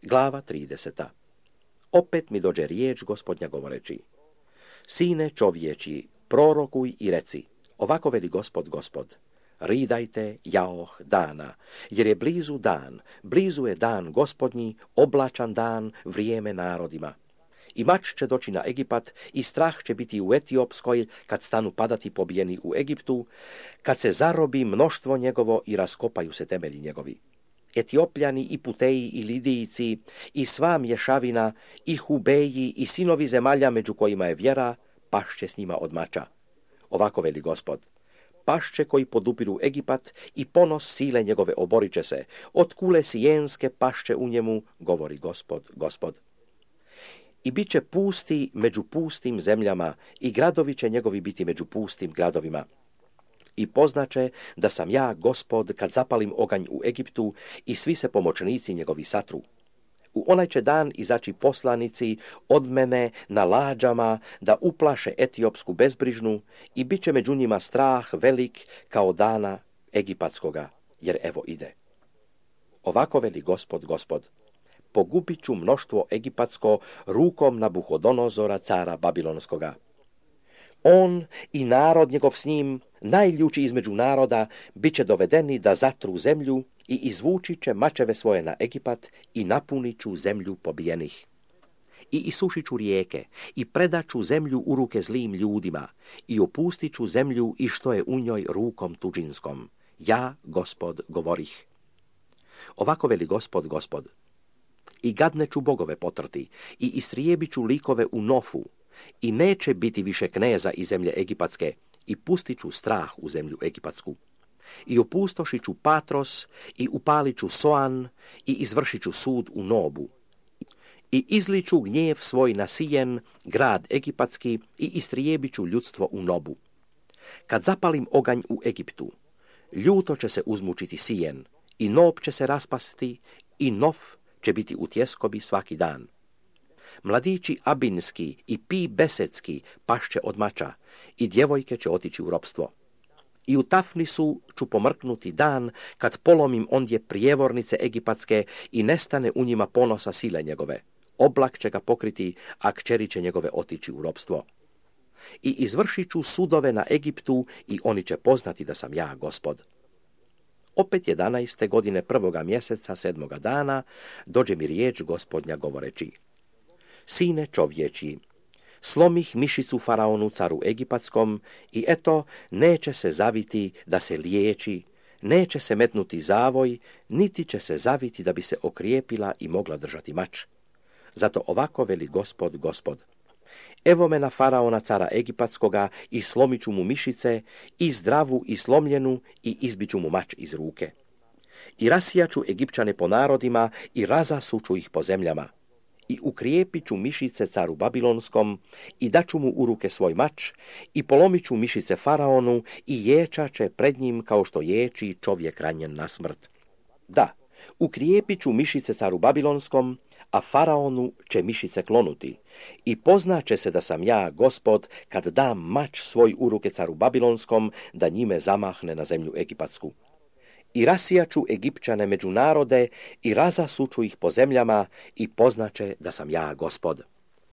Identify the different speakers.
Speaker 1: Glava 30. Opet mi dođe riječ Gospodnja govoreći: Sine čovječi, prorokuj i reci, ovako veli Gospod, ridajte jaoh dana, jer je blizu je dan Gospodnji, oblačan dan, vrijeme narodima. I mač će doći na Egipat, i strah će biti u Etiopskoj, kad stanu padati pobijeni u Egiptu, kad se zarobi mnoštvo njegovo i raskopaju se temelji njegovi. Etiopljani i Puteji i Lidijci i sva mješavina i Hubeji i sinovi zemalja među kojima je vjera, pašće s njima od mača. Ovako veli Gospod: pašće koji podupiru Egipat i ponos sile njegove oborit će se, od kule sijenske pašće u njemu, govori Gospod. I bit će pusti među pustim zemljama i gradovi će njegovi biti među pustim gradovima. I poznaće da sam ja Gospod kad zapalim oganj u Egiptu i svi se pomoćnici njegovi satru. U onaj će dan izaći poslanici od mene na lađama da uplaše etiopsku bezbrižnu i bit će među njima strah velik kao dana egipatskoga, jer evo ide. Ovako veli Gospod, pogubit ću mnoštvo egipatsko rukom Nabuhodonozora, cara Babilonskoga. On i narod njegov s njim, najljuči između naroda, bit će dovedeni da zatru zemlju i izvući će mačeve svoje na Egipat i napunit ću zemlju pobijenih. I isušit ću rijeke i predat ću zemlju u ruke zlim ljudima i opustit ću zemlju i što je u njoj rukom tuđinskom. Ja, Gospod, govorih. Ovako veli Gospod. I gadne ću bogove potrti i istrijebit ću likove u Nofu i neće biti više kneza iz zemlje egipatske i pustit ću strah u zemlju egipatsku. I opustošit ću Patros i upalit ću Soan i izvršit ću sud u Nobu. I izliću gnjev svoj na Sijen, grad egipatski, i istrijebit ću ljudstvo u Nobu. Kad zapalim oganj u Egiptu, ljuto će se uzmučiti Sijen, i Nob će se raspasti, i Nof će biti u tjeskobi svaki dan. Mladići Abinski i Pi Besetski pašće od mača i djevojke će otići u ropstvo. I u Tafnisu ću pomrknuti dan kad polomim ondje prijevornice egipatske i nestane u njima ponosa sile njegove. Oblak će ga pokriti, a kćeri će njegove otići u ropstvo. I izvršit ću sudove na Egiptu i oni će poznati da sam ja Gospod. Opet 11. godine 1. mjeseca 7. dana dođe mi riječ Gospodnja govoreći: Sine čovječi, slomih mišicu faraonu caru egipatskom i eto neće se zaviti da se liječi, neće se metnuti zavoj, niti će se zaviti da bi se okrijepila i mogla držati mač. Zato ovako veli Gospod. Evo me na faraona cara egipatskoga i slomit ću mu mišice, i zdravu i slomljenu, i izbit ću mu mač iz ruke. I rasijaću Egipćane po narodima i razasuću ih po zemljama. I ukrijepit ću mišice caru Babilonskom i daću mu u ruke svoj mač i polomit ću mišice faraonu i ječat će pred njim kao što ječi čovjek ranjen na smrt. Da, ukrijepit ću mišice caru Babilonskom, a faraonu će mišice klonuti i poznaće se da sam ja Gospod kad dam mač svoj u ruke caru Babilonskom da njime zamahne na zemlju egipatsku. I rasijaću Egipćane među narode i razasuću ih po zemljama i poznaće da sam ja Gospod.